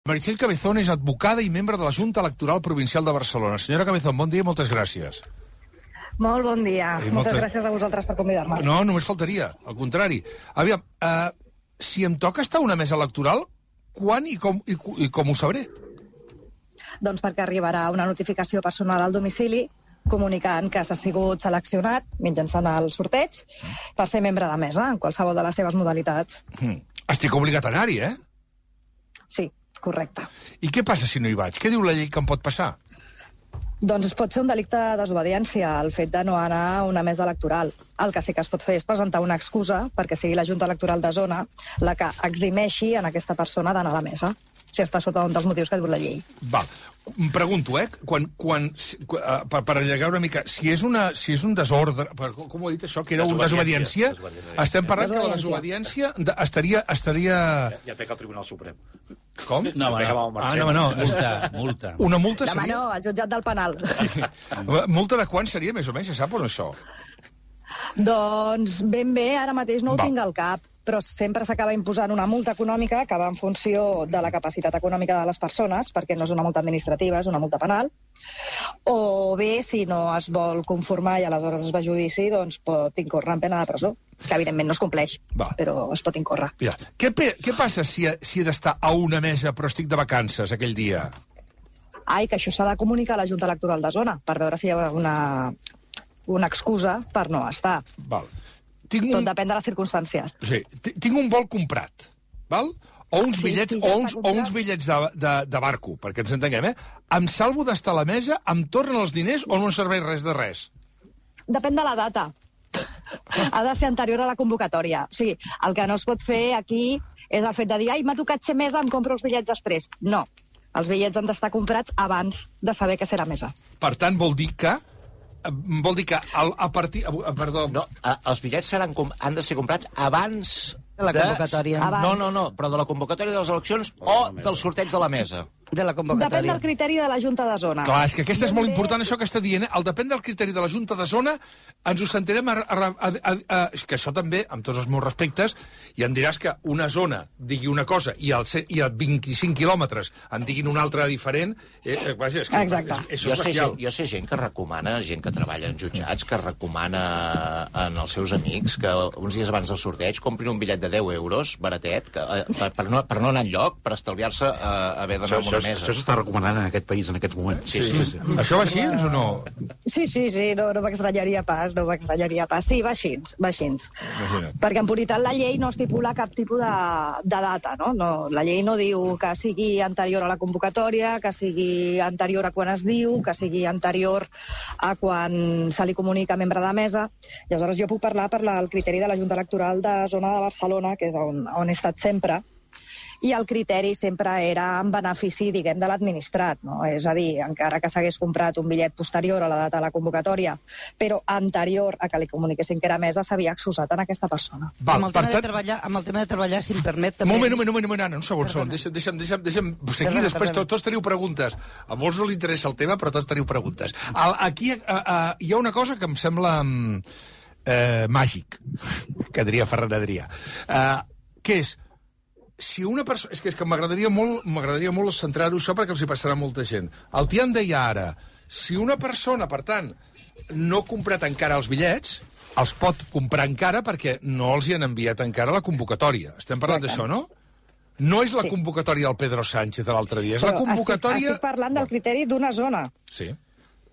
Meritxell Cabezón és advocada i membre de la Junta Electoral Provincial de Barcelona. Senyora Cabezón, bon dia i moltes gràcies. Molt bon dia. Moltes gràcies a vosaltres per convidar-me. No, només faltaria, al contrari. Aviam, si em toca estar a una mesa electoral, quan i com ho sabré? Doncs perquè arribarà una notificació personal al domicili comunicant que s'ha sigut seleccionat mitjançant el sorteig per ser membre de mesa en qualsevol de les seves modalitats. Estic obligat a anar-hi, eh? Sí, correcte. I què passa si no hi vaig? Què diu la llei que em pot passar? Doncs pot ser un delicte de desobediència el fet de no anar a una mesa electoral. El que sí que es pot fer és presentar una excusa perquè sigui la Junta Electoral de Zona la que eximeixi en aquesta persona d'anar a la mesa, si està sota un dels motius que diu la llei. Val. Em pregunto, per allargar una mica, si és un desordre, com ho he dit això, que era una desobediència, estem parlant que la desobediència estaria... Ja pega el Tribunal Suprem. Com? No. Multa. Una multa seria... Demà no, al jutjat del penal. Sí. Multa de quan seria, més o menys, se sap o no, això? Doncs ben bé, ara mateix no ho tinc al cap, però sempre s'acaba imposant una multa econòmica que va en funció de la capacitat econòmica de les persones, perquè no és una multa administrativa, és una multa penal, o bé, si no es vol conformar i aleshores es va a judici, doncs pot incórrer en pena de presó, que evidentment no es compleix, però es pot incórrer. Ja. Què passa si he d'estar a una mesa però estic de vacances aquell dia? Ai, que això s'ha de comunicar a la Junta Electoral de Zona per veure si hi ha una excusa per no estar. Val. Tot depèn de les circumstàncies. Sí. Tinc un vol comprat, val? O uns bitllets de barco, perquè ens entenguem, Em salvo d'estar a la mesa, em tornen els diners o no em serveix res de res? Depèn de la data. Ha de ser anterior a la convocatòria. O sigui, el que no es pot fer aquí és el fet de dir m'ha tocat ser mesa, em compro els bitllets després. No. Els bitllets han d'estar comprats abans de saber que serà mesa. Per tant, vol dir que a partir... Perdó. No, els bitllets han de ser comprats abans de la convocatòria. No, però de la convocatòria de les eleccions o del sorteig de la mesa. De la convocatòria. Depèn del criteri de la Junta de Zona. Clar, és que aquesta és molt important, això que està dient. El depèn del criteri de la Junta de Zona, ens ho sentirem que això també, amb tots els meus respectes, i em diràs que una zona digui una cosa i a 25 quilòmetres en diguin una altra diferent. Exacte. Jo sé gent que recomana, gent que treballa en jutjats, que recomana als seus amics que uns dies abans del sorteig comprin un bitllet de 10 euros, baratet, per no anar enlloc, per estalviar-se haver d'anar a una mesa. Això s'està recomanant en aquest país en aquests moments. Sí. Això va així o no? Sí, no m'extranyaria pas, Sí, va així. Perquè en puritat la llei no estipula cap tipus de data, no? La llei no diu que sigui anterior a la convocatòria, que sigui anterior a quan es diu, que sigui anterior a quan se li comunica a membre de mesa. I aleshores jo puc parlar per el criteri de la Junta Electoral de Zona de Barcelona, que és on he estat sempre, i el criteri sempre era en benefici, diguem, de l'administrat, no? És a dir, encara que s'hagués comprat un bitllet posterior a la data de la convocatòria, però anterior a que li comuniquessin que era mesa, s'havia excusat en aquesta persona. Amb el tema de treballar, si em permet... Un moment, Anna, un segon. Deixa'm seguir, després tots teniu preguntes. A molts no li interessa el tema, però tots teniu preguntes. Aquí hi ha una cosa que em sembla màgic, que diria Ferran Adrià, que és si una persona... És que m'agradaria molt centrar-ho això perquè els hi passarà molta gent. El Tian deia ara, si una persona, per tant, no ha comprat encara els bitllets, els pot comprar encara perquè no els hi han enviat encara la convocatòria. Estem parlant d'això, no? No és la convocatòria del Pedro Sánchez de l'altre dia, és la convocatòria... Estic parlant del criteri d'una zona. Sí,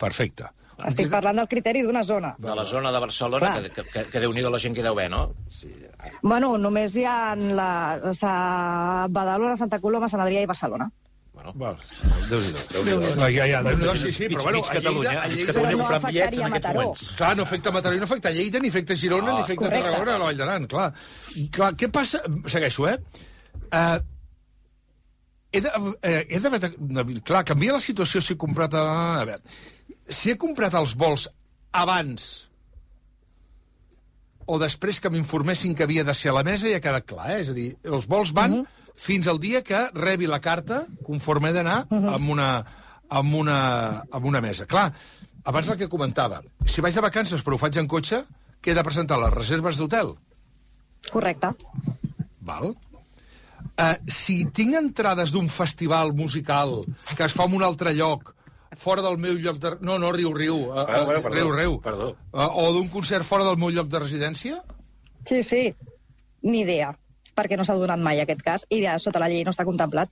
perfecte. Estic parlant del criteri d'una zona. De la zona de Barcelona, que Déu-n'hi-do la gent que deu bé, no? Sí. Bueno, només hi ha Badalona, Santa Coloma, Sant Adrià i Barcelona. Déu-n'hi-do. Sí, però bueno, a Catalunya comprant bitllets en aquests moments. Clar, no afecta Mataró, no afecta Lleida, ni afecta Girona, ni afecta Tarragona, la Vall d'Aran, clar. Què passa? Segueixo, Clar, canvia la situació si he comprat... A veure, si he comprat els vols abans o després que m'informessin que havia de ser a la mesa, ja ha quedat clar, És a dir, els vols van fins al dia que rebi la carta conforme he d'anar amb una mesa. Clar, abans el que comentava, si vaig de vacances però ho faig en cotxe, què he de presentar? Les reserves d'hotel? Correcte. Val. Si tinc entrades d'un festival musical que es fa en un altre lloc, fora del meu lloc de... No, riu. Riu. Perdó. O d'un concert fora del meu lloc de residència? Sí. Ni idea, perquè no s'ha donat mai aquest cas, i ja sota la llei no està contemplat.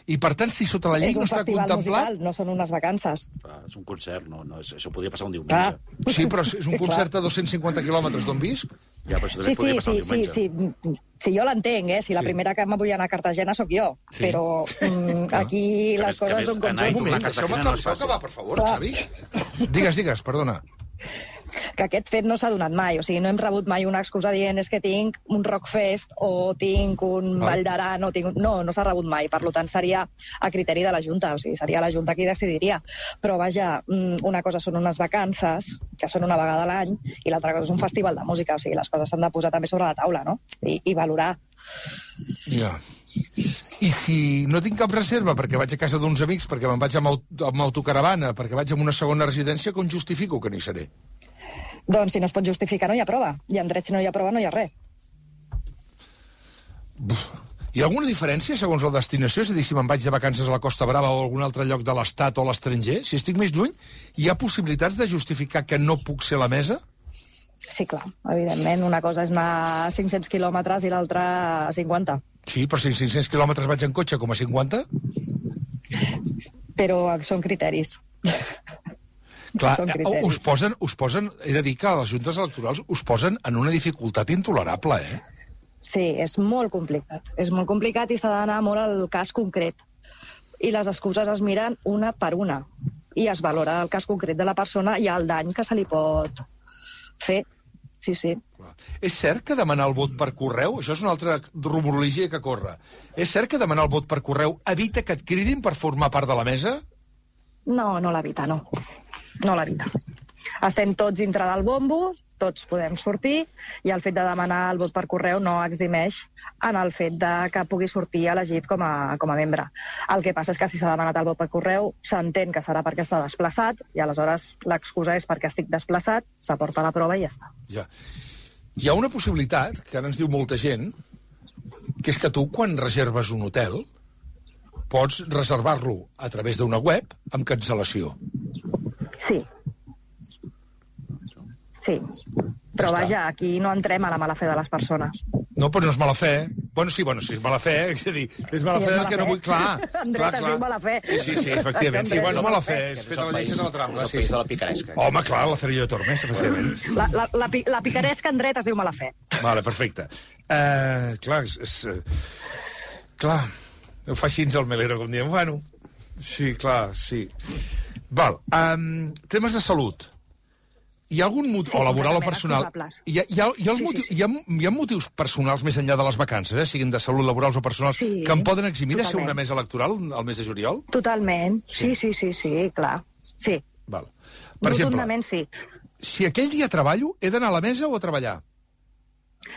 I, per tant, si sota la llei no està contemplat... És un festival musical, no són unes vacances. És un concert, no, això podria passar un diumenge. Sí, però és un concert a 250 quilòmetres d'on visc? Ja, però això també podria passar un diumenge. Sí, jo l'entenc, Si la primera que me vull anar a Cartagena sóc jo. Sí. Però aquí les coses són com són. Un moment, deixeu-me acabar, per favor, Xavi. Digues, perdona. Que aquest fet no s'ha donat mai. O sigui, no hem rebut mai una excusa dient és que tinc un Rockfest o tinc un Vall d'Aran o tinc... No s'ha rebut mai. Per tant, seria a criteri de la Junta. O sigui, seria la Junta qui decidiria. Però, vaja, una cosa són unes vacances, que són una vegada a l'any, i l'altra cosa és un festival de música. O sigui, les coses s'han de posar també sobre la taula, no? I valorar. Ja. I si no tinc cap reserva perquè vaig a casa d'uns amics, perquè me'n vaig amb autocaravana, perquè vaig a una segona residència, com justifico que no hi seré? Doncs si no es pot justificar no hi ha prova. I en dret si no hi ha prova no hi ha res. Hi ha alguna diferència segons la destinació? És a dir, si me'n vaig de vacances a la Costa Brava o a algun altre lloc de l'Estat o a l'estranger, si estic més lluny, hi ha possibilitats de justificar que no puc ser a la mesa? Sí, clar, evidentment. Una cosa és anar a 500 quilòmetres i l'altra a 50. Sí, però si 500 quilòmetres vaig en cotxe com a 50? Però són criteris. Clar, us posen, he de dir que les juntes electorals us posen en una dificultat intolerable, Sí, és molt complicat. És molt complicat i s'ha d'anar molt al cas concret. I les excuses es miren una per una. I es valora el cas concret de la persona i el dany que se li pot fer. Sí. És cert que demanar el vot per correu, això és una altra rumorologia que corre, és cert que demanar el vot per correu evita que et cridin per formar part de la mesa? No l'evita, no. No l'evita. Estem tots dintre del bombo, tots podem sortir, i el fet de demanar el vot per correu no eximeix en el fet de que pugui sortir elegit com a membre. El que passa és que si s'ha demanat el vot per correu, s'entén que serà perquè està desplaçat, i aleshores l'excusa és perquè estic desplaçat, s'aporta la prova i ja està. Ja. Hi ha una possibilitat, que ara ens diu molta gent, que és que tu, quan reserves un hotel, pots reservar-lo a través d'una web amb cancel·lació. Sí. Però vaja, aquí no entrem a la mala fe de les persones. No, però no és mala fe. Bueno, sí, és mala fe, és a dir, és mala fe que no vull... Clar, Andreta, és mala fe. Sí, efectivament. Sí, bueno, mala fe, és fet la llei de la trampa. És el país de la picaresca. Home, clar, la Cerillo de Tormes, efectivament. La picaresca en dret es diu mala fe. Vale, perfecte. Clar, clar, ho fa així el melero, com diem. Bueno, sí, clar, sí. Val, temes de salut. Hi ha algun motiu, o laboral o personal, hi ha motius personals més enllà de les vacances, siguin de salut, laborals o personals, que em poden eximir de ser una mesa electoral al mes de juliol? Totalment, sí, clar. Sí. Val. Per exemple, sí. Si aquell dia treballo, he d'anar a la mesa o a treballar?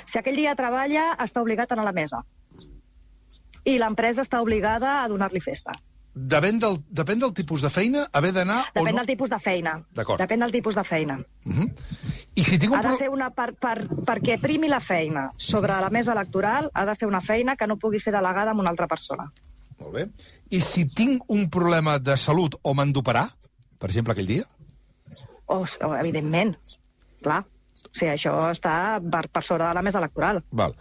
Si aquell dia treballa, està obligat a anar a la mesa. I l'empresa està obligada a donar-li festa. Depèn del tipus de feina, haver d'anar o no? Depèn del tipus de feina. D'acord. Depèn del tipus de feina. I si tinc ha de ser una... perquè primi la feina sobre la mesa electoral, ha de ser una feina que no pugui ser delegada amb una altra persona. Molt bé. I si tinc un problema de salut o m'han d'operar, per exemple, aquell dia? Evidentment, clar. O sigui, això està per sobre de la mesa electoral. Val.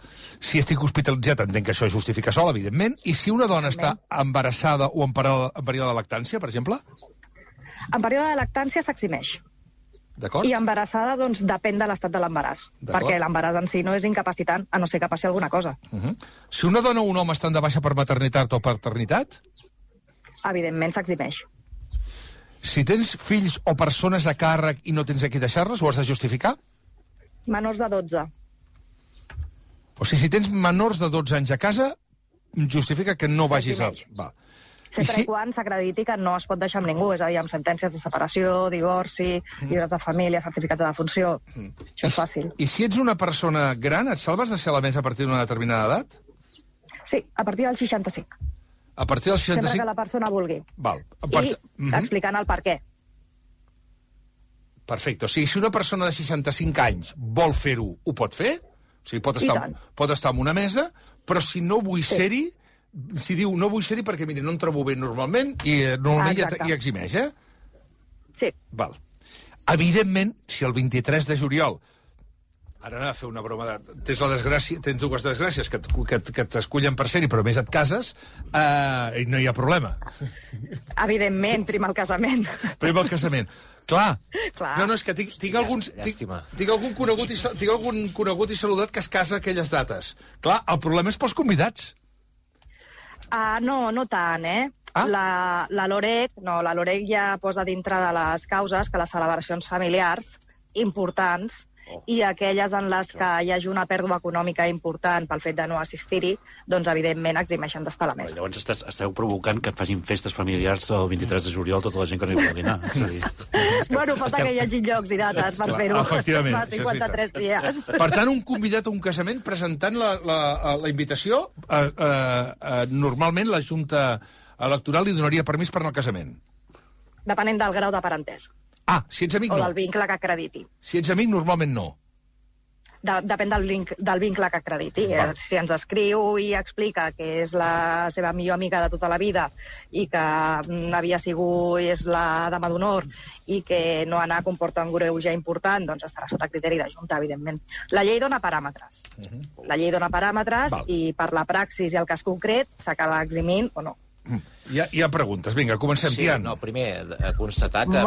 Si estic hospitalitzat, entenc que això es justifica sol, evidentment. I si una dona està embarassada o en període de lactància, per exemple? En període de lactància s'eximeix. D'acord. I embarassada, doncs, depèn de l'estat de l'embaràs. Perquè l'embaràs en si no és incapacitant, a no ser que passi alguna cosa. Si una dona o un home estan de baixa per maternitat o paternitat? Evidentment s'eximeix. Si tens fills o persones a càrrec i no tens a qui deixar-les, ho has de justificar? Menors de 12. O sigui, si tens menors de 12 anys a casa, justifica que no vagis a... Va. Sempre quan s'acrediti que no es pot deixar amb ningú, és a dir, amb sentències de separació, divorci, llibres de família, certificats de defunció. Això és fàcil. I si ets una persona gran, et salves de ser a la mesa a partir d'una determinada edat? Sí, a partir dels 65. A partir dels 65? Sempre que la persona vulgui. Val. I explicant el per què. Perfecte. O sigui, si una persona de 65 anys vol fer-ho, ho pot fer? O sigui, pot estar en una mesa, Però si no vull ser-hi, si diu no vull ser-hi perquè, mira, no em trobo bé normalment, i normalment hi eximeix, Sí. Val. Evidentment, si el 23 de juliol ara anava a fer una broma tens dues desgràcies que t'escullen per ser-hi, però més et cases, i no hi ha problema. Evidentment, primer el casament. Primer el casament. Clar. No, és que tinc algun conegut i saludat que es casa a aquelles dates. Clar, el problema és pels convidats. No tant, La LOREC ja posa dintre de les causes que les celebracions familiars importants i aquelles en les que hi hagi una pèrdua econòmica important pel fet de no assistir-hi, doncs, evidentment, eximeixen d'estar a la mesa. Llavors esteu provocant que facin festes familiars el 23 de juliol tota la gent que no hi vol dinar. Bueno, falta que hi hagi llocs i dates per fer-ho. Efectivament. Fa 53 dies. Per tant, un convidat a un casament presentant la invitació, normalment la Junta Electoral li donaria permís per anar al casament. Depenent del grau de parentesc. Si ets amic, no. O del vincle que acrediti. Si ets amic, normalment no. Depèn del vincle que acrediti. Si ens escriu i explica que és la seva millor amiga de tota la vida i que és la dama d'honor i que no anar comporta un greuge important, doncs estarà sota criteri de Junta, evidentment. La llei dona paràmetres. La llei dona paràmetres i per la praxis i el cas concret s'acaba eximint o no. Hi ha preguntes. Vinga, comencem, Tian. No, primer, constatar que...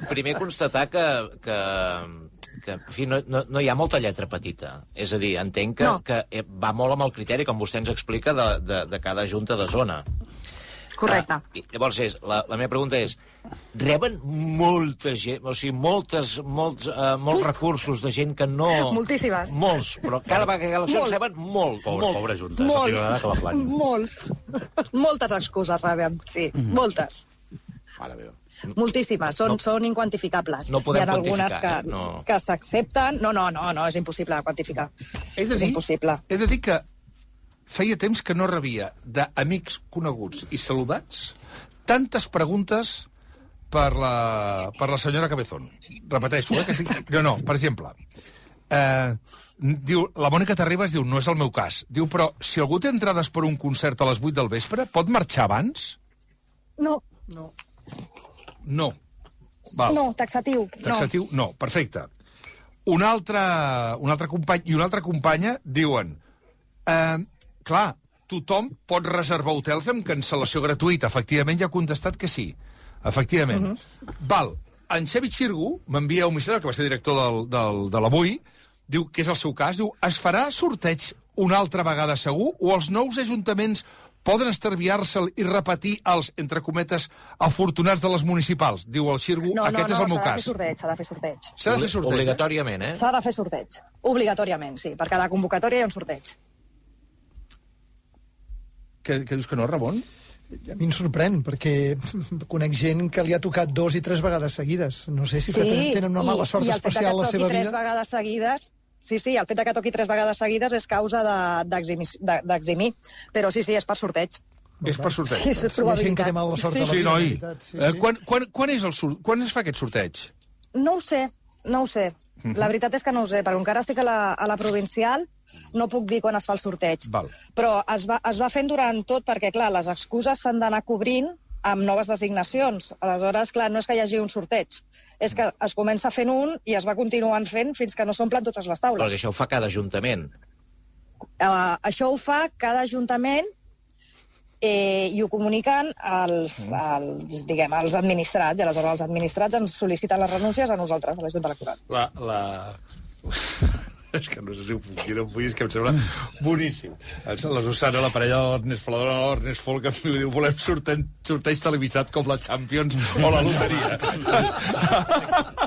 Primer, constatar que en fi, no hi ha molta lletra petita. És a dir, entenc que va molt amb el criteri, com vostè ens explica, de cada junta de zona. Correcte. Llavors, la meva pregunta és, reben molta gent, o sigui, molts recursos de gent que no... Moltíssimes. Molts, però cada vegada que hi ha eleccions reben molt. Pobra junta. Molts. Moltes excuses rebem, sí, moltes. Mare meva. Moltíssimes, són inquantificables. No podem quantificar. Hi ha algunes que s'accepten. No, és impossible de quantificar. És impossible. He de dir que feia temps que no rebia d'amics coneguts i saludats tantes preguntes per la senyora Cabezón. Repeteixo, que sí. No, per exemple, diu, la Mònica Terribas diu, no és el meu cas. Diu, però si algú té entrades per un concert a les 8 del vespre, pot marxar abans? No. Val. No, taxatiu. No, perfecte. Un altre company i una altra companya diuen... Clar, tothom pot reservar hotels amb cancel·lació gratuïta. Efectivament, ja ha contestat que sí. Efectivament. Val. En Xavi Xirgu m'envia un missatge, que va ser director de l'Avui, diu que és el seu cas, diu, es farà sorteig una altra vegada segur o els nous ajuntaments poden estalviar-se'l i repetir els, entre cometes, afortunats de les municipals? Diu el Xirgu, aquest és el meu cas. S'ha de fer sorteig. S'ha de fer sorteig, obligatòriament, S'ha de fer sorteig. Obligatòriament, sí. Per cada convocatòria hi ha un sorteig. Què dius que no, Ramon? A mi em sorprèn, perquè conec gent que li ha tocat 2 i 3 vegades seguides. No sé si tenen una mala sort especial a la seva vida. I el fet que toqui 3 vegades seguides... Sí, el fet que toqui 3 vegades seguides és causa d'eximir. Però sí, és per sorteig. És per sorteig. Sí, és probabilitat. Hi ha gent que té mala sort a la vida. Noi. Quan es fa aquest sorteig? No ho sé. La veritat és que no ho sé, perquè encara estic a la provincial, no puc dir quan es fa el sorteig. Val. Però es va fent durant tot, perquè, clar, les excuses s'han d'anar cobrint amb noves designacions. Aleshores, clar, no és que hi hagi un sorteig, és que es comença fent un i es va continuant fent fins que no s'omplen totes les taules. Perquè això ho fa cada ajuntament. Això ho fa cada ajuntament i ho comuniquen als administrats, i aleshores els administrats ens sol·liciten les renúncies a nosaltres, a la Junta Electoral. És que no sé si ho puc dir, no ho puc dir, és que em sembla boníssim. La Susana, la parella de l'Ernest Folador, l'Ernest Folk, em diu, volem sorteig televisat com la Champions o la loteria.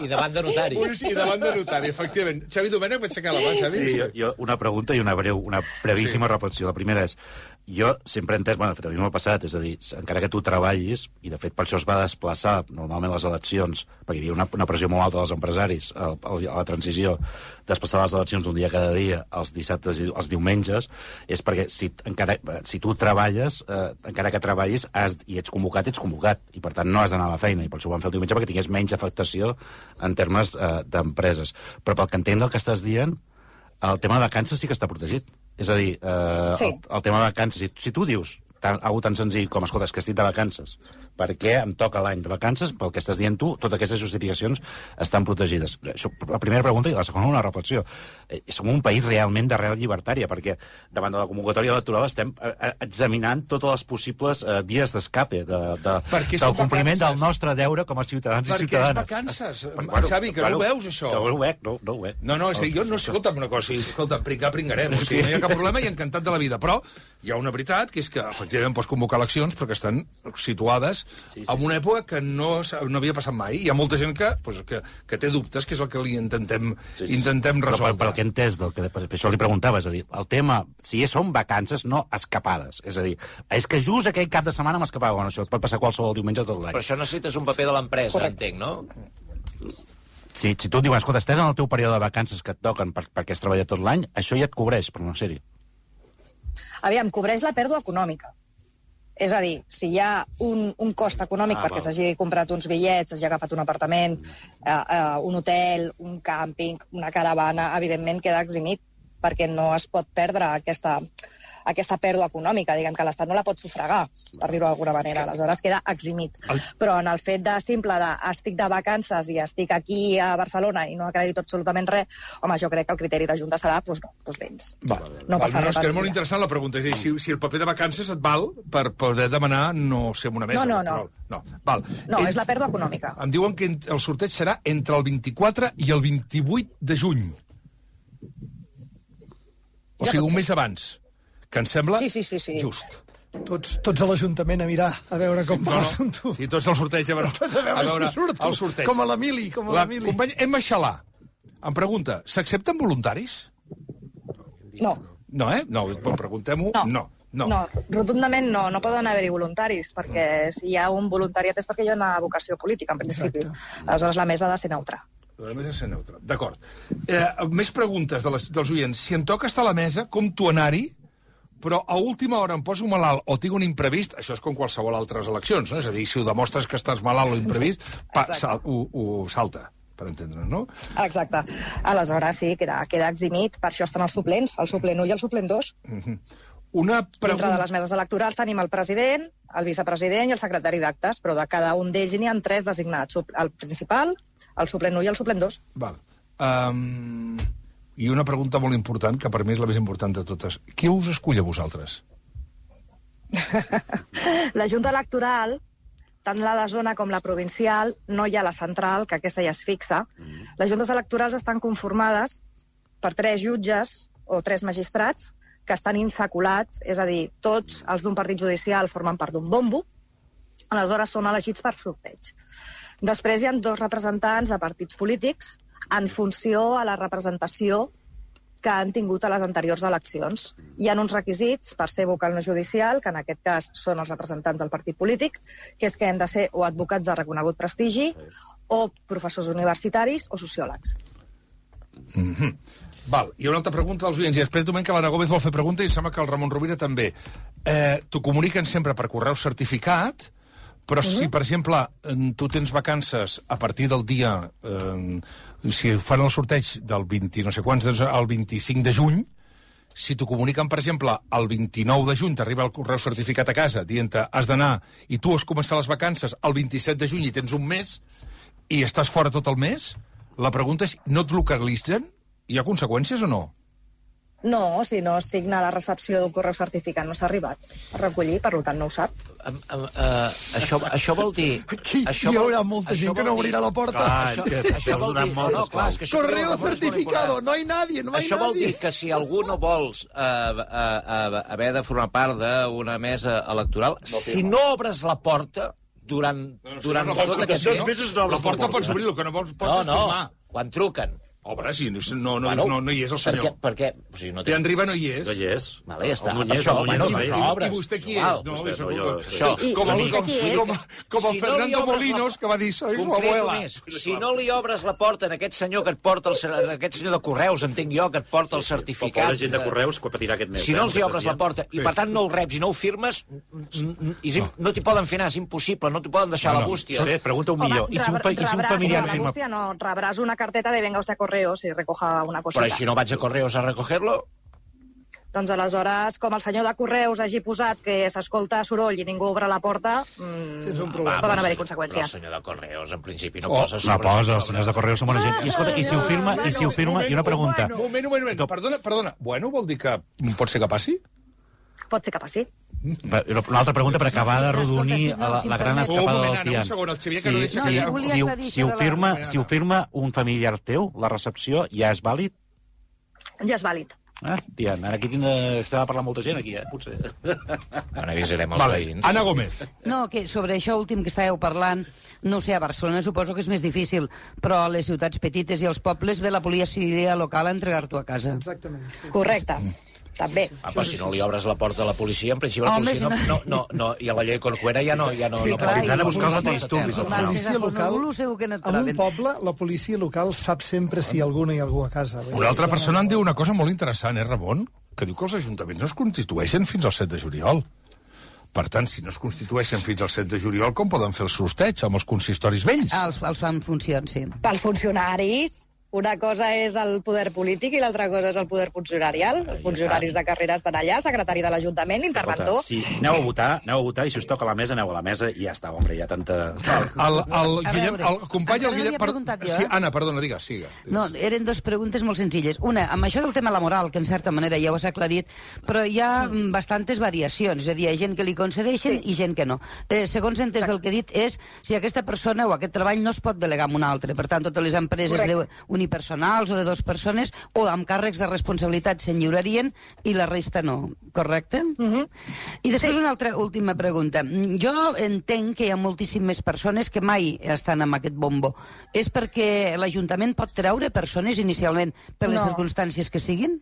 I davant de notari. I davant de notari, efectivament. Xavi Domènech, vaig aixecar la mà, Xavi. Sí, jo una pregunta i una brevíssima reflexió. La primera és, jo sempre he entès, el federalisme passat, és a dir, encara que tu treballis, i de fet per això es va desplaçar normalment les eleccions, perquè hi havia una pressió molt alta dels empresaris a la transició, desplaçar les eleccions un dia cada dia, els dissabtes i els diumenges, és perquè si tu treballes, encara que treballis i ets convocat, i per tant no has d'anar a la feina, i per això ho van fer el diumenge perquè tingués menys afectació en termes d'empreses. Però pel que entenc del que estàs dient, el tema de vacances sí que està protegit. És a dir, el tema de vacances, si tu dius algo tan senzill com, escolta, és que estic de vacances, perquè em toca l'any de vacances, pel que estàs dient tu, totes aquestes justificacions estan protegides. Això, la primera pregunta, i la segona una reflexió. Som un país realment d'arrel llibertària, perquè davant de la convocatòria electoral estem examinant totes les possibles vies d'escape del compliment del nostre deure com a ciutadans i ciutadanes. Perquè és vacances, Xavi, que no ho veus, això. No ho veig, no ho veig. No, és a dir, jo no, escolta'm una cosa, escolta, pringarem, o sigui, no hi ha cap problema i encantat de la vida, però hi ha una veritat, que és que efectivament pots convocar eleccions però que estan situades en una època que no havia passat mai. Hi ha molta gent que té dubtes, que és el que li intentem resoldre. Però el que he entès, per això li preguntava, és a dir, el tema, si són vacances, no escapades. És a dir, és que just aquell cap de setmana m'escapava. Bueno, això pot passar qualsevol diumenge tot l'any. Però això necessites un paper de l'empresa, entenc, no? Si tu et diuen, escolta, estàs en el teu període de vacances que et toquen perquè has treballat tot l'any, això ja et cobreix, per no ser-hi. Aviam, cobreix la pèrdua econòmica. És a dir, si hi ha un cost econòmic perquè s'hagi comprat uns bitllets, s'hagi agafat un apartament, un hotel, un càmping, una caravana, evidentment queda eximit, perquè no es pot perdre aquesta pèrdua econòmica, diguem que l'Estat no la pot sufragar, per dir-ho d'alguna manera, aleshores queda eximit. Però en el fet de simple de estic de vacances i estic aquí a Barcelona i no acredito absolutament res, home, jo crec que el criteri de Junta serà, doncs vens. No passa res. És que és molt interessant la pregunta, és a dir, si el paper de vacances et val per poder demanar no ser en una mesa electoral. No, és la pèrdua econòmica. Em diuen que el sorteig serà entre el 24 i el 28 de juny. O sigui, un mes abans. Que em sembla just. Tots a l'Ajuntament a mirar, a veure com va l'assumpte. Sí, tots al sorteig, a veure si surto. El sorteig. Com a l'Emili. La companya Emma Xalà em pregunta, s'accepten voluntaris? No. No, No, preguntem-ho. No, rotundament no. No poden haver-hi voluntaris, perquè si hi ha un voluntariat és perquè hi ha una vocació política, en principi. Aleshores, la mesa ha de ser neutra. La mesa ha de ser neutra, d'acord. Més preguntes dels oients. Si em toca estar a la mesa, com tu anar-hi, però a última hora em poso malalt o tinc un imprevist, això és com qualsevol altres eleccions, no? És a dir, si ho demostres que estàs malalt o imprevist, ho salta, per entendre'ns, no? Exacte. Aleshores, sí, queda eximit. Per això estan els suplents, el suplent 1 i el suplent 2. Dintre de les meses electorals tenim el president, el vicepresident i el secretari d'actes, però de cada un d'ells n'hi ha 3 designats. El principal, el suplent 1 i el suplent 2. Val. I una pregunta molt important, que per mi és la més important de totes. Qui us escull a vosaltres? La Junta Electoral, tant la de zona com la provincial, no hi ha la central, que aquesta ja es fixa. Les juntes electorals estan conformades per 3 jutges o 3 magistrats que estan insaculats, és a dir, tots els d'un partit judicial formen part d'un bombo, aleshores són elegits per sorteig. Després hi ha 2 representants de partits polítics en funció a la representació que han tingut a les anteriors eleccions. Hi ha uns requisits per ser vocal no judicial, que en aquest cas són els representants del partit polític, que és que hem de ser o advocats de reconegut prestigi, o professors universitaris, o sociòlegs. Val, hi ha una altra pregunta dels oients, i després diuen que l'Anna Gómez vol fer pregunta i sembla que el Ramon Rovira també. T'ho comuniquen sempre per correu certificat, però si, per exemple, tu tens vacances a partir del dia... si fan el sorteig del 20, no sé quants, el 25 de juny, si t'ho comuniquen, per exemple, el 29 de juny, t'arriba el correu certificat a casa dient-te has d'anar, i tu has començat les vacances el 27 de juny i tens un mes, i estàs fora tot el mes, la pregunta és, no et localitzen? Hi ha conseqüències o no? No, si no signa la recepció d'un correu certificat no s'ha arribat a recollir, per tant no ho sap. Això vol dir... Hi haurà molta gent que no obrirà la porta. Això vol dir... Correo certificado, no hay nadie, no hay nadie. Això vol dir que si algú no vols haver de formar part d'una mesa electoral, si no obres la porta durant tot aquest temps... La porta pots obrir, el que no pots és firmar. Quan truquen. Home, si no hi és el senyor. Perquè Té en Riba no hi és. No hi és. Vale, ja està. I vostè qui és? Com el Fernando Molinos, que va dir, soy su abuela. Si no li obres la porta a aquest senyor que et porta, aquest senyor de Correus, entenc jo, que et porta el certificat... La gent de Correus que patirà aquest mes. Si no els hi obres la porta, i per tant no ho reps i no ho firmes, no t'hi poden fer anar, és impossible, no t'hi poden deixar la bústia. Pregunta un millor. Rebràs una bústia, no, rebràs una carteta de venga usted a Correus correos y recoja una cosita. Però si no vaig a correos a recogerlo... Doncs aleshores, com el senyor de Correus hagi posat que s'escolta soroll i ningú obre la porta, Tens un problema. poden haver-hi Però conseqüències. el senyor de Correus, en principi, no posa No sobre... posa, els senyors de Correus són bona gent. I escolta, i si ho firma, i una pregunta. Un moment. Perdona. Bueno, vol dir que pot ser que passi? Pot ser que passi. Una altra pregunta per acabar de rodonir la gran escapada del Tian. Un segon, el Xavier, que no deixa que... Si ho firma un familiar teu, la recepció ja és vàlid? Ja és vàlid. Tian, ara aquí s'ha de parlar molta gent, aquí, potser. Bueno, avisarem els veïns. Anna Gómez. No, que sobre això últim que estàveu parlant, no sé, a Barcelona suposo que és més difícil, però a les ciutats petites i als pobles ve la policia local a entregar-t'ho a casa. Exactament. Sí. Correcte. També. Però si no li obres la porta a la policia, en principi la Home, policia no, i a la llei Corcuera ja no... Sí, clar, Vindran a buscar els antidisturbis. La policia local, segur que no et en un troben. poble, la policia local sap sempre si alguna hi ha algú a casa. Una altra persona em diu una cosa molt interessant, Ramon? Que diu que els ajuntaments no es constitueixen fins al 7 de juliol. Per tant, si no es constitueixen fins al 7 de juliol, com poden fer el sorteig amb els consistoris vells? Els fan funcions, sí. Pels funcionaris, una cosa és el poder polític i l'altra cosa és el poder funcionarial. Els funcionaris de carrera estan allà, el secretari de l'Ajuntament, l'interventor... Sí, aneu a votar, i si us toca la mesa, aneu a la mesa i ja està, hombre, hi ha tanta... El company, el Guillem... preguntat jo, Sí, Anna, perdona, digues, siga. No, eren dues preguntes molt senzilles. Una, amb això del tema laboral, que en certa manera ja ho has aclarit, però hi ha bastantes variacions, és a dir, hi ha gent que li concedeixen i gent que no. Segons he entès del que he dit, és si aquesta persona o aquest treball no es pot delegar amb un altre. Per tant, totes les empreses unipersonals o de 2 persones o amb càrrecs de responsabilitat se'n lliurarien i la resta no, correcte? I després una altra última pregunta. Jo entenc que hi ha moltíssimes persones que mai estan amb aquest bombo. És perquè l'Ajuntament pot treure persones inicialment per les circumstàncies que siguin?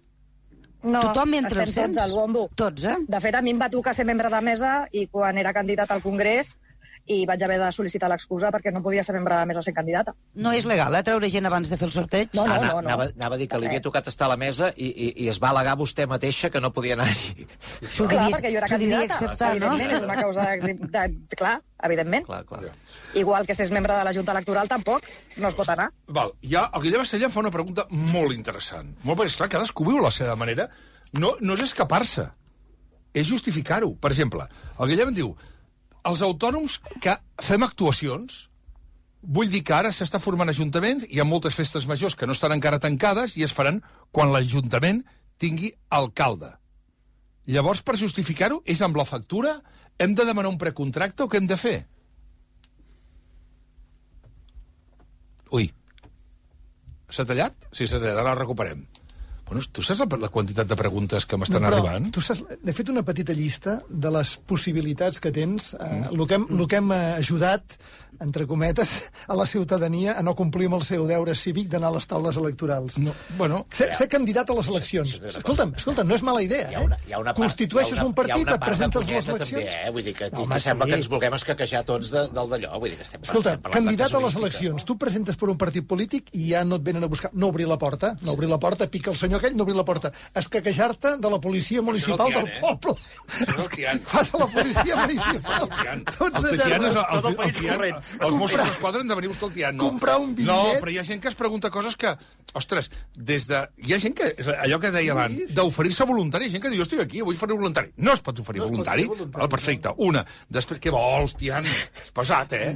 No, tothom entra estem tots al bombo. Tots, eh? De fet, a mi em va tocar ser membre de mesa i quan era candidat al Congrés i vaig haver de sol·licitar l'excusa perquè no podia ser membre de mesa sent candidata. No és legal, treure gent abans de fer el sorteig? No. Anava a dir que li havia tocat estar a la mesa i es va al·legar vostè mateixa que no podia anar-hi. Clar, perquè jo era candidata. Acceptar, no? Evidentment, és una causa clar, evidentment. Clar. Igual que si és membre de la Junta Electoral, tampoc no es pot anar. Val, ja, el Guillem Estellà fa una pregunta molt interessant. Molt bé, esclar, cadascú viu la seva manera. No és escapar-se, és justificar-ho. Per exemple, el Guillem diu, els autònoms que fem actuacions, vull dir que ara s'està formant ajuntaments, hi ha moltes festes majors que no estan encara tancades i es faran quan l'Ajuntament tingui alcalde. Llavors, per justificar-ho, és amb la factura? Hem de demanar un precontracte o què hem de fer? Ui. S'ha tallat? Sí, s'ha tallat, ara la recuperem. Bueno, tu saps la quantitat de preguntes que m'estan arribant? Tu saps, he fet una petita llista de les possibilitats que tens, el que hem ajudat, entre cometes, a la ciutadania a no complir amb el seu deure cívic d'anar a les taules electorals. No, bueno... Ser candidat a les eleccions. Escolta'm, no és mala idea, Constitueixes un partit, et presentes a les eleccions... També, vull dir que sembla que ens vulguem escaquejar tots del d'allò. Vull dir que estem Escolta, candidat a les eleccions, tu presentes per un partit polític i ja no et venen a buscar, no obrir la porta, pica el senyor aquell, no obrir la porta, escaquejar-te de la policia municipal del poble. Fas a la policia municipal. Tots a terra. Tot el país corrent. Els Mossos d'Esquadra han de venir a buscar el Tian. Comprar un bitllet. No, però hi ha gent que es pregunta coses que... Ostres, hi ha gent que... Allò que deia abans, d'oferir-se voluntari. Hi ha gent que diu, jo estic aquí, vull oferir voluntari. No es pot oferir voluntari. Perfecte. Una. Després, què vols, Tian? És pesat, eh?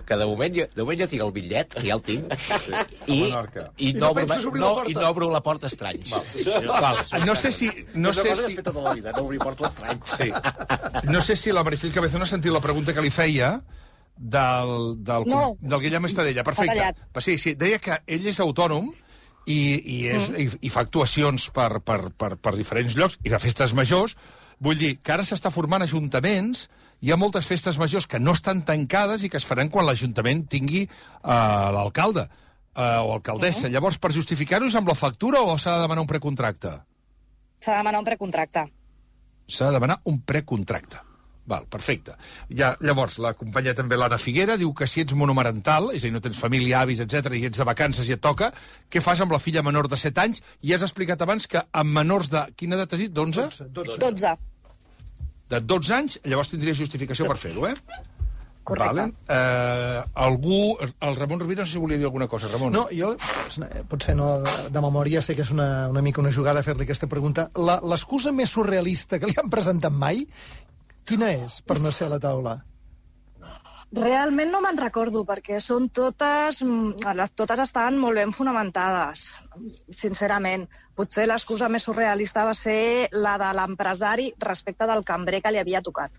Que de moment jo tinc el bitllet, ja el tinc, i no obro la porta estranys. No sé si... No sé si... Tota la vida, no obrir portes estranys. Sí. No sé si la Maricel Cabezón ha sentit la pregunta que li feia del Guillem Estadella. Perfecte. Sí, deia que ell és autònom i fa actuacions per diferents llocs i de festes majors. Vull dir que ara s'està formant ajuntaments, hi ha moltes festes majors que no estan tancades i que es faran quan l'Ajuntament tingui l'alcalde o alcaldessa. Llavors, per justificar-ho és amb la factura o s'ha de demanar un precontracte? S'ha de demanar un precontracte. S'ha de demanar un precontracte. Val, perfecte. Llavors, la companya també, l'Anna Figuera, diu que si ets monomarental, és a dir, no tens família, avis, etc i ets de vacances i et toca, què fas amb la filla menor de 7 anys? I has explicat abans que amb menors de... Quina edat has dit? 11? 12. De 12 anys, llavors tindria justificació per fer-ho, eh? Correcte. El Ramon Rovira, no sé si volia dir alguna cosa. Ramon. No, jo, potser no de memòria, sé que és una mica una jugada fer-li aquesta pregunta. L'excusa més surrealista que li han presentat mai, quina és per no ser a la taula? Realment no me'n recordo, perquè són totes estan molt ben fonamentades, sincerament. Potser l'excusa més surrealista va ser la de l'empresari respecte del cambrer que li havia tocat.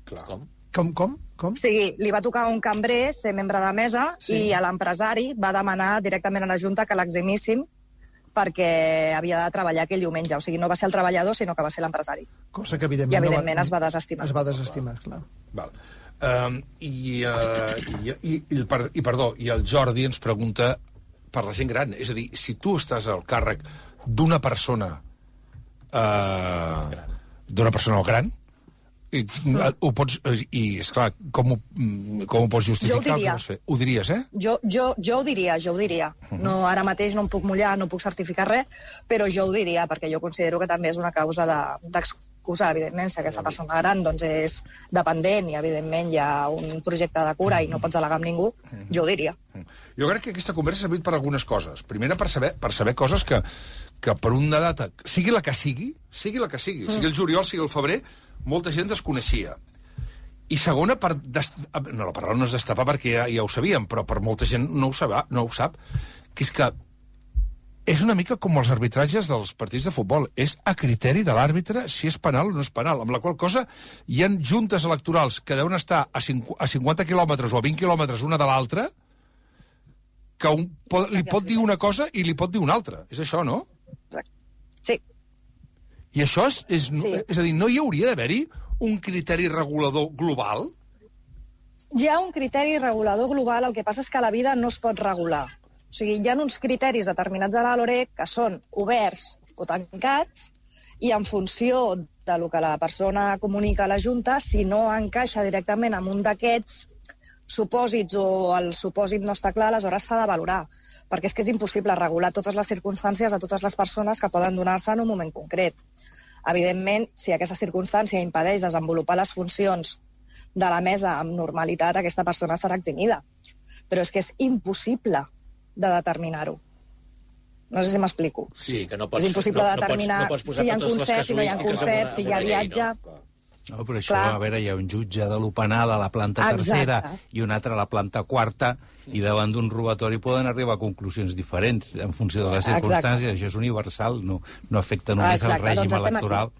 Clar. Com? O sigui, li va tocar un cambrer ser membre de la mesa i a l'empresari va demanar directament a la Junta que l'eximíssim perquè havia de treballar aquell diumenge. O sigui, no va ser el treballador, sinó que va ser l'empresari. Cosa que, evidentment... I, evidentment, es va desestimar. Es va desestimar, clar. Val. I el Jordi ens pregunta per la gent gran. És a dir, si tu estàs al càrrec d'una persona gran, ho pots... I, esclar, com ho pots justificar? Jo ho diria. Ho diries, eh? Jo ho diria. No, ara mateix no em puc mullar, no puc certificar res, però jo ho diria, perquè jo considero que també és una causa d'excusa, evidentment, si aquesta persona gran doncs, és dependent i, evidentment, hi ha un projecte de cura i no pots delegar amb ningú, jo ho diria. Jo crec que aquesta conversa ha servit per algunes coses. Primera, per saber coses que per una data, sigui la que sigui el juliol, sigui el febrer, molta gent desconeixia. I segona, la paraula no és destapar perquè ja ho sabíem, però per molta gent no ho sap, que és que és una mica com els arbitratges dels partits de futbol. És a criteri de l'àrbitre si és penal o no és penal, amb la qual cosa hi ha juntes electorals que deuen estar a 50 quilòmetres o a 20 quilòmetres una de l'altra, que li pot dir una cosa i li pot dir una altra. És això, no? Sí. I això és a dir, no hi hauria d'haver-hi un criteri regulador global? Hi ha un criteri regulador global, el que passa és que la vida no es pot regular. O sigui, hi ha uns criteris determinats a la LOREC que són oberts o tancats i en funció de lo que la persona comunica a la Junta, si no encaixa directament amb un d'aquests supòsits o el supòsit no està clar, aleshores s'ha de valorar. Perquè és que és impossible regular totes les circumstàncies de totes les persones que poden donar-se en un moment concret. Evidentment, si aquesta circumstància impedeix desenvolupar les funcions de la mesa amb normalitat, aquesta persona serà eximida. Però és que és impossible de determinar-ho. No sé si m'explico. Sí, que no pots... És impossible determinar si hi ha concert, si no hi ha concert, si hi ha viatge... No, però això, a veure, hi ha un jutge de lo penal a la planta tercera i un altre a la planta quarta, i davant d'un robatori poden arribar a conclusions diferents en funció de les circumstàncies. Això és universal, no afecta només el règim electoral.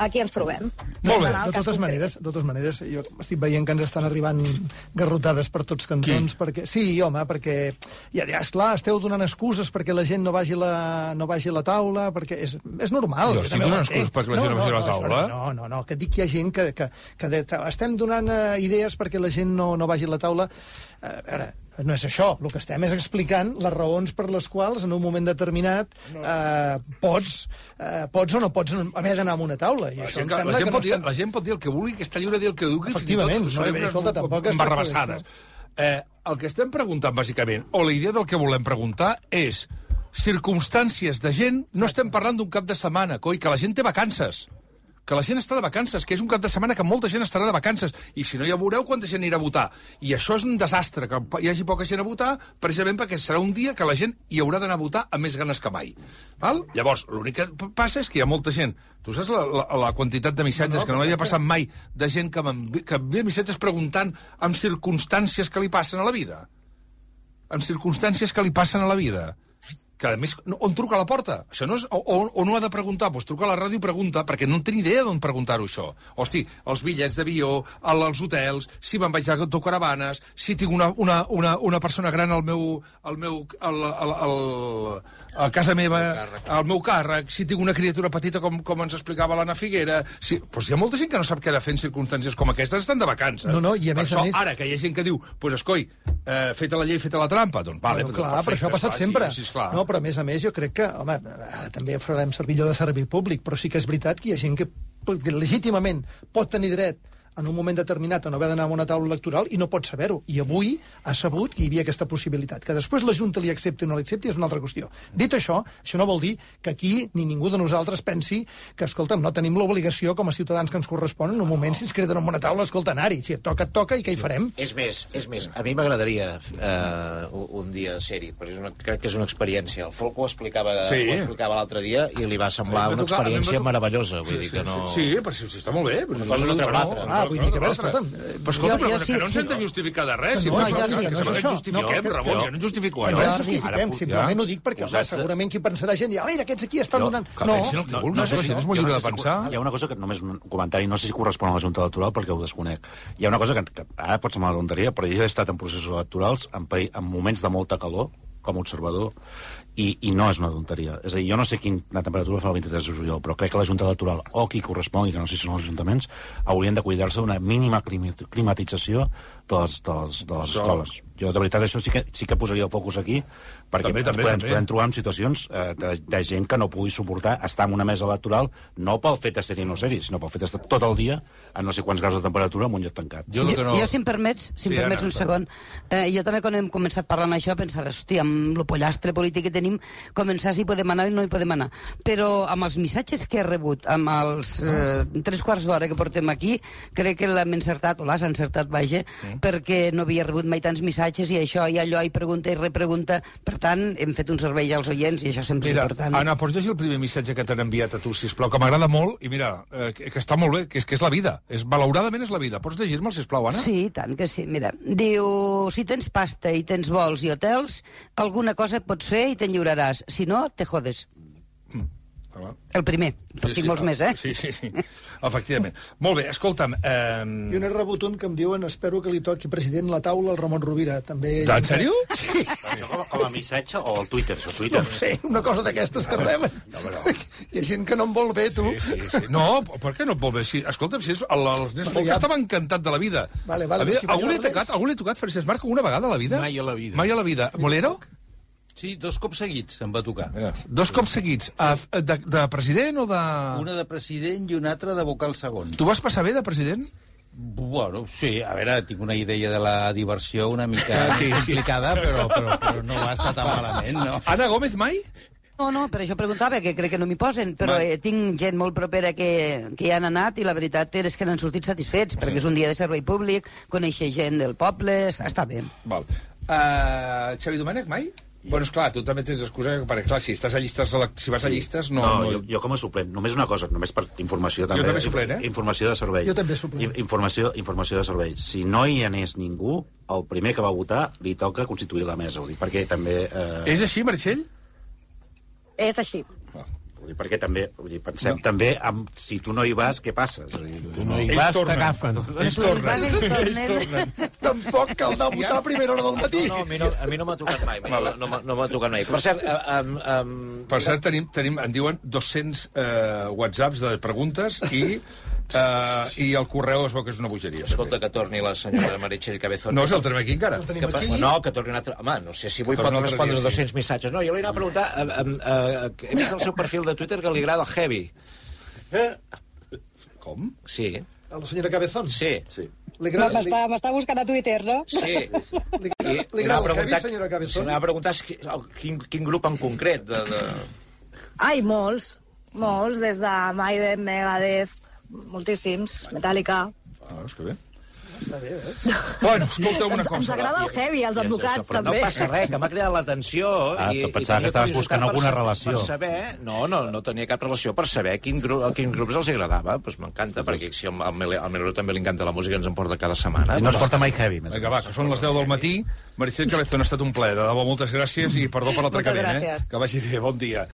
Aquí ens trobem. Molt bé. De totes maneres, jo estic veient que ens estan arribant garrotades per tots cantons. Perquè, sí, home, perquè ja, esclar, esteu donant excuses perquè la gent no vagi a la taula, perquè és normal. Jo estic donant excuses perquè la gent no vagi a la taula? No, que dic que hi ha gent que estem donant idees perquè la gent no vagi a la taula. A veure, no és això. El que estem és explicant les raons per les quals en un moment determinat pots o no pots haver d'anar a una taula. I això la gent pot dir el que vulgui, que està lliure de dir el que vulgui. Efectivament. Embarrabassades. El que estem preguntant, bàsicament, o la idea del que volem preguntar és circumstàncies de gent... No estem parlant d'un cap de setmana, coi, que la gent té vacances. Que la gent està de vacances, que és un cap de setmana que molta gent estarà de vacances, i si no ja veureu quanta gent anirà a votar. I això és un desastre, que hi hagi poca gent a votar, precisament perquè serà un dia que la gent hi haurà d'anar a votar amb més ganes que mai. Val? Llavors, l'únic que passa és que hi ha molta gent. Tu saps la quantitat de missatges que no m'havia passat mai, de gent que envia missatges preguntant amb circumstàncies que li passen a la vida? Amb circumstàncies que li passen a la vida? Que, a més, on truca a la porta? Això no és, o no ha de preguntar? Doncs truca a la ràdio i pregunta, perquè no en té ni idea d'on preguntar-ho, això. Hosti, els bitllets d'avió, als hotels, si me'n vaig d'autocaravanes, si tinc una persona gran a casa meva, al meu càrrec, si tinc una criatura petita, com ens explicava l'Anna Figuera... Doncs hi ha molta gent que no sap què ha de fer en circumstàncies com aquestes, estan de vacances. No, i a més a més... Ara, que hi ha gent que diu, pues, escoi, feta la llei, feta la trampa, doncs vale. Clar, però això ha passat sempre. No, però a més, jo crec que, home, ara també farem servir allò de servei públic, però sí que és veritat que hi ha gent que legítimament pot tenir dret en un moment determinat a no haver d'anar a una taula electoral i no pot saber-ho. I avui ha sabut que hi havia aquesta possibilitat. Que després la Junta li accepti o no l'accepti és una altra qüestió. Dit això no vol dir que aquí ni ningú de nosaltres pensi que, escolta'm, no tenim l'obligació com a ciutadans que ens corresponen en un moment si ens creden en una taula, escolta, anar-hi. Si et toca i què hi farem? És més, a mi m'agradaria un dia ser-hi, perquè crec que és una experiència. El Folk ho explicava l'altre dia i li va semblar una experiència meravellosa. Vull dir que no... Sí, però si està molt bé. Una cosa no treu l'altra. Vull dir que, a veure, escolta'm... Però escolta, que no ens hem de justificar de res. No, Jordi, justifiquem, Ramon, jo no justifico. No ens justifiquem, simplement ho dic perquè, segurament qui pensarà gent dirà, mira, aquests aquí estan donant... No, és molt lliure de pensar. Hi ha una cosa que només un comentari, no sé si correspon a la Junta Electoral perquè ho desconec. Hi ha una cosa que ara pot semblar una tonteria, però jo he estat en processos electorals en moments de molta calor, com a observador, i no és una tonteria. És a dir, jo no sé quina temperatura fa el 23 de juliol, però crec que la Junta Electoral, o qui correspongui, que no sé si són els ajuntaments, haurien de cuidar-se d'una mínima climatització de les escoles. Jo, de veritat, això sí que posaria el focus aquí, perquè ens podem trobar en situacions de gent que no pugui suportar estar en una mesa electoral, no pel fet de ser-hi o no ser-hi, sinó pel fet d'estar tot el dia a no sé quants graus de temperatura en un lloc tancat. Jo, si em permets un segon, jo també quan hem començat parlant això pensava, hòstia, amb el pollastre polític que tenim, començar si podem anar o no hi podem anar. Però amb els missatges que he rebut, amb els 3 quarts d'hora que portem aquí, crec que l'hem encertat, o l'has encertat, vaja, perquè no havia rebut mai tants missatges i això i allò, i pregunta i repregunta. Per tant, hem fet un servei als oients i això sempre és important. Anna, pots llegir el primer missatge que t'han enviat a tu, sisplau, que m'agrada molt, i mira, que està molt bé, que és la vida. Malauradament és la vida. Pots llegir-me'l, sisplau, Anna? Sí, tant que sí. Mira, diu, si tens pasta i tens vols i hotels, alguna cosa et pots fer i t'enlluraràs. Si no, te jodes. El primer, però tinc molts més, eh? Sí, efectivament. Molt bé, escolta'm... Jo n'he rebut un que em diuen espero que li toqui president la taula al Ramon Rovira. També... En sèrio? Sí. Com a missatge o al Twitter? No sé, una cosa d'aquestes que reben. Hi ha gent que no em vol bé, tu. Sí. No, per què no et vol bé? Escolta'm, si l'Ernest Folk estava encantat de la vida. Algú li ha tocat Francesc Marc una vegada a la vida? Mai a la vida. Mai a la vida. Molero? Sí, 2 cops seguits em va tocar. 2 cops seguits. De president o de... Una de president i una altra de vocal segon. Tu vas passar bé de president? Bueno, sí, a veure, tinc una idea de la diversió una mica complicada, però no va estar tan malament, no? Ana Gómez mai? No, per això preguntava, que crec que no m'hi posen, però tinc gent molt propera que hi han anat i la veritat és que n'han sortit satisfets, perquè és un dia de servei públic, conèixer gent del poble, està bé. Val. Xavi Domènech mai? Bueno, esclar, tu també tens excusa, perquè clar, si vas a llistes... No, jo com a suplent, només una cosa, només per informació també... Jo també suplent, Informació de servei. Jo també suplent. Informació de servei. Si no hi anés ningú, el primer que va votar li toca constituir la mesa, perquè també... És així, Meritxell? És així. Perquè també, pensem també si tu no hi vas, què passa? Tu no hi vas, t'agafen. Ells tornen. Tampoc cal anar a votar a primera hora del matí. No, a mi no m'ha tocat mai. No m'ha tocat mai. Per cert, tenim, en diuen 200 whatsapps de preguntes i el correu es veu que és una bogeria. Escolta, que torni la senyora Meritxell Cabezón. No, si el tenim aquí encara. No, que torni un altre... Home, no sé si avui pot respondre 200 missatges. No, jo li anava a preguntar... He vist el seu perfil de Twitter que li agrada el heavy. Com? Sí. A la senyora Cabezón? Sí. M'està buscant a Twitter, no? Sí. Li agrada el heavy, senyora Cabezón? Se n'ha preguntat quin grup en concret. Ai, molts, des de Maiden, Megadeth, moltíssims, Metallica. És que bé. Està bé, Bueno, escolta una cosa. Ens agrada el heavy, els advocats, però també. No passa res, que m'ha cridat l'atenció. Pensava que estaves buscant alguna relació. Per saber... No tenia cap relació per saber a quins grups els agradava. Doncs m'encanta, perquè si al Melero també li encanta la música, ens en porta cada setmana. I no es porta mai heavy. Vinga, va, que són les 10 del matí. Meritxell Cabezón, ha estat un plaer. De debò, moltes gràcies i perdó per l'atracament. Que vagi bé, bon dia.